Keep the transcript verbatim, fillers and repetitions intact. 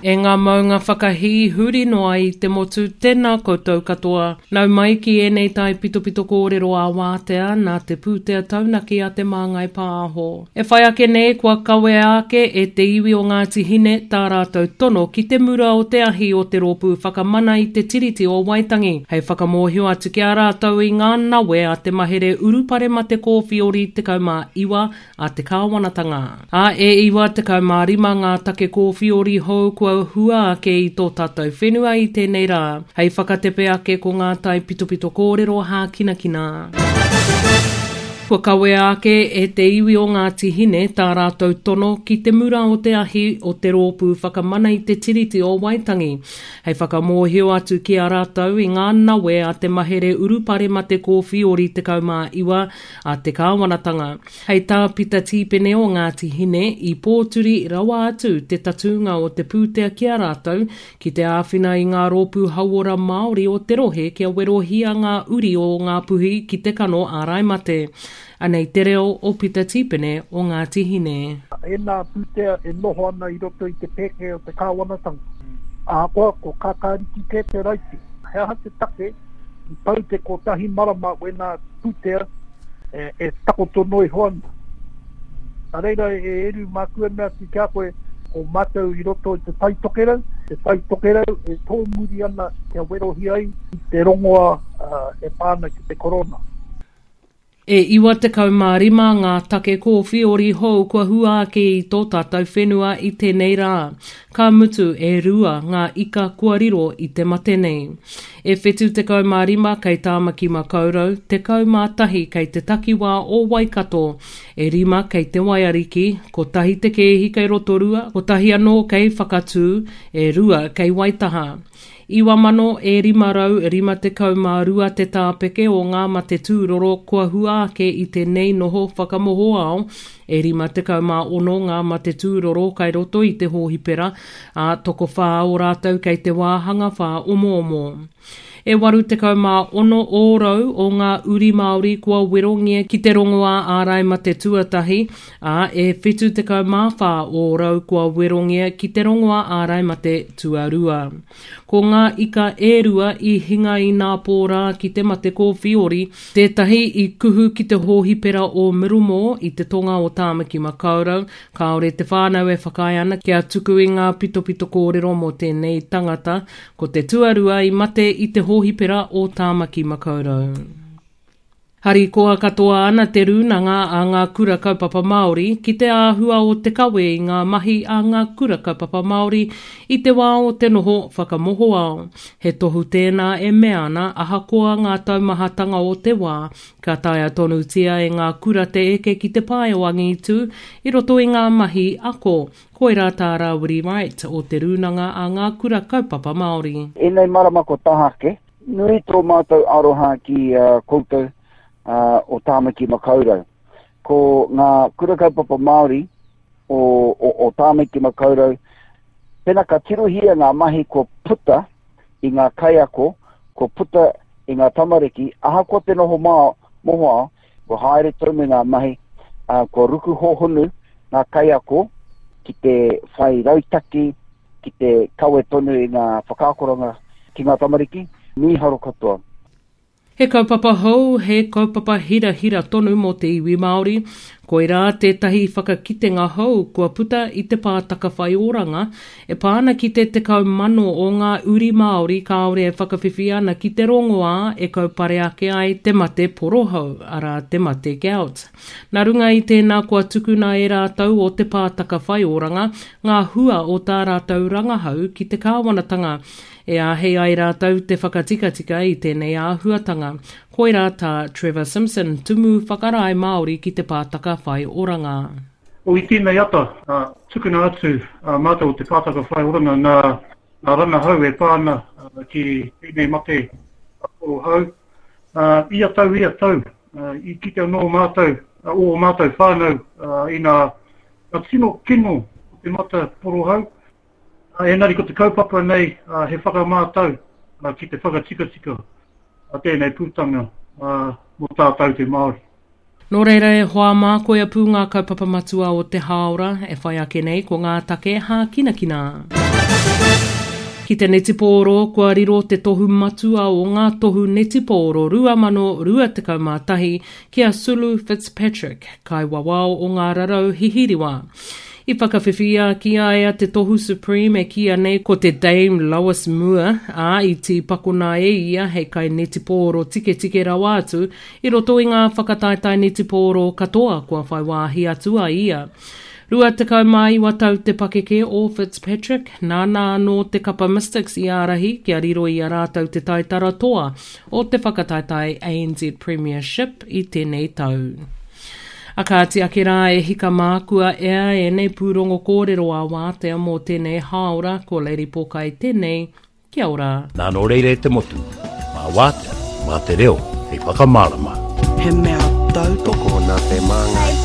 E ngā maunga whakahī huri noa i te motu, tēnā koutou katoa. Nau mai ki ēnei taipitopito kōrero ā-wātea nā te pūtea taunaki a Te Māngai Pāho. E whai ake nei kua kawea ake e te iwi o Ngāti Hine tā rātou tono ki te mura o te ahi o te Rōpū Whakamana i te Tiriti o Waitangi hei whakamōhio atu ki a rātou i ngā nawe a te mahere urupare mate kōwhiori tekau mā iwa a te kāwanatanga. Ā, e iwa tekau mā rima ngā take kōwhiori hou kua hua ake i tō tātou whenua i tēnei rā, hei whakatepe ake ko ngā taipitopito kōrero hākinakina. Kua kawea ake e te iwi o Ngāti Hine tā rātou tono ki te mura o te ahi o te Rōpū Whakamana i te Tiriti o Waitangi, hei whakamōhio atu ki a rātou i ngā nawe a te mahere urupare mate kōwhiori tekau mā iwa a te kāwanatanga. Hei tā Pita Tīpene o Ngāti Hine, i pōturi rawa atu te tatūnga o te pūtea ki a rātou ki te āwhina i ngā rōpū hauora Māori o te rohe kia werohia ngā uri o Ngāpuhi ki te kano ārai mate. Anei te reo o Pita Tīpene o Ngāti Hine. Ēnā pūtea e noho ana i roto i te pēke o te kāwanatanga. Ahakoa ko Kākāriki kē te raiti, he aha te take i pau te kotahi marama wēnā pūtea e, e takoto noa iho ana. Nā reira e Eru māku e mea atu ki a koe, ko mātou i roto i te Tai Tokerau, te Tai Tokerau e tōmuri ana kia werohia ai i te rongoa uh, e pā ana ki te korona. E iwa tekau mā rima ngā take kōwhiori hou kua hua ake i tō tātou whenua i tēnei rā. Ka mutu e rua ngā ika kua riro i te mate nei. E whitu tekau mā rima kei Tāmaki Makaurau, tekau mā tahi kei te takiwā o Waikato, e rima kei Te Waiariki, kotahi te kēhi kei Rotorua, kotahi anō kei Whakatū, e rua kei Waitaha. Iwa mano e rima rau rima tekau mā rua te tāpeke o ngā mate tūroro kua hua ake i tēnei noho whakamohoao, e rima tekau mā ono ngā mate tūroro kai roto i te hōhipera, ā, tokowhā o rātou kei te wāhanga whāomoomo. E waru tekau mā ono ōrau o ngā uri Māori kua werongia ki te rongoā ārai mate tuatahi, ā, e whitu tekau mā whā ōrau kua werongia ki te rongoā ārai mate tuarua. Ko ngā ika e rua i hinga i nā pō rā ki te mate kōwhiori, tētahi i kuhu ki te hōhipera o Middlemore i te tonga o Tāmaki Makaurau, kāore te whānau e whakaae ana kia tuku i ngā pitopito kōrero mō tēnei tangata, ko te tuarua i mate i te hōhipera o Tāmaki Makaurau. Harikoa katoa ana te rūnanga a ngā kura kaupapa Māori ki te āhua o te kawe i ngā mahi a ngā kura kaupapa Māori i te wā o te noho whakamohoao. He tohu tēnā e mea ana ahakoa ngā taumahatanga o te wā, ka taea tonutia e ngā kura te eke ki te pae o angitu i roto i ngā mahi ako. Koirā tā Rāwiri Wright o te rūnanga a ngā kura kaupapa Māori. Ēnei marama ko Tahake, nui tō mātou aroha ki uh, koutou uh, o Tāmaki Makaurau. Ko ngā kura kaupapa Māori o, o, o Tāmaki Makaurau, pena ka tirohia ngā mahi kua puta i ngā kaiako, kua puta i ngā tamariki, ahakoa te noho mā, mohoao, kua haere tonu ngā mahi, uh, kua ruku hohonu ngā kaiako ki te whai rautaki, ki te kawe tonu i ngā whakaakoranga ki ngā tamariki, mīharo katoa. He kaupapa hou, he kaupapa hirahira tonu mō te iwi Māori. Koirā tētahi whakakitenga hou kua puta i te pātaka whaioranga e pā ana ki te tekau mano o ngā uri Māori kāore e whakawhiwhi ana ki te rongoā e kaupare ake ai te mate porohau, arā te mate gout. Nā runga i tēnā kua tukuna e rātou o te pātaka whaioranga ngā hua o tā rātou rangahau ki te kāwanatanga. E āhei ai rātou te whakatikatika i tēnei āhuatanga. Koirā tā Trevor Simpson, tumu whakarae Māori ki te pātaka whaioranga. O i tēnei ata, uh, tukuna atu uh, mātou o te pātaka whaioranga nā, nā rangahau e pā ana uh, ki tēnei mate porohau. Uh, ia tau, ia tau, uh, i kite anō mātou, uh, o mātou whānau uh, i nā, nā tino kino o te mata porohau. Uh, engari ko te kaupapa nei uh, he whakamātau uh, ki te whakatikatika a tēnei pūtanga uh, mō tātou te Māori. Nō reira e hoa mā koia pū ngā kaupapa matua o te hāora e whai ake nei ko ngā take hākinakina. Ki te netipōro, kua riro te tohu matua o ngā tohu netipōro rua mano rua tekau mā tahi ki a Sulu Fitzpatrick, kaiwawao o ngā rarau hihiriwa. I whakawhiwhia ki a ia te tohu Supreme e kīia nei ko te Dame Lois Moore, ā, i tīpakona e ia hei kainetipōro tiketike rawa atu i roto i ngā whakataetae netipōro katoa kua whai wāhi atu a ia. Rua tekau mā iwa tau te pakeke o Fitzpatrick, nāna anō te kapa Mystics i ārahi kia riro i a rātou te taitara toa o te whakataetae A N Z Premiership i tēnei tau. A kāti ake rā e hika mā kua ea ēnei pūrongo kōrero ā wātea mō tēnei hāora, ko Lady Pōkai tēnei, kia ora. Nā nō reira e te motu, mā wātea, mā te reo, hei whakamārama. He mea tautoko nā te māngai.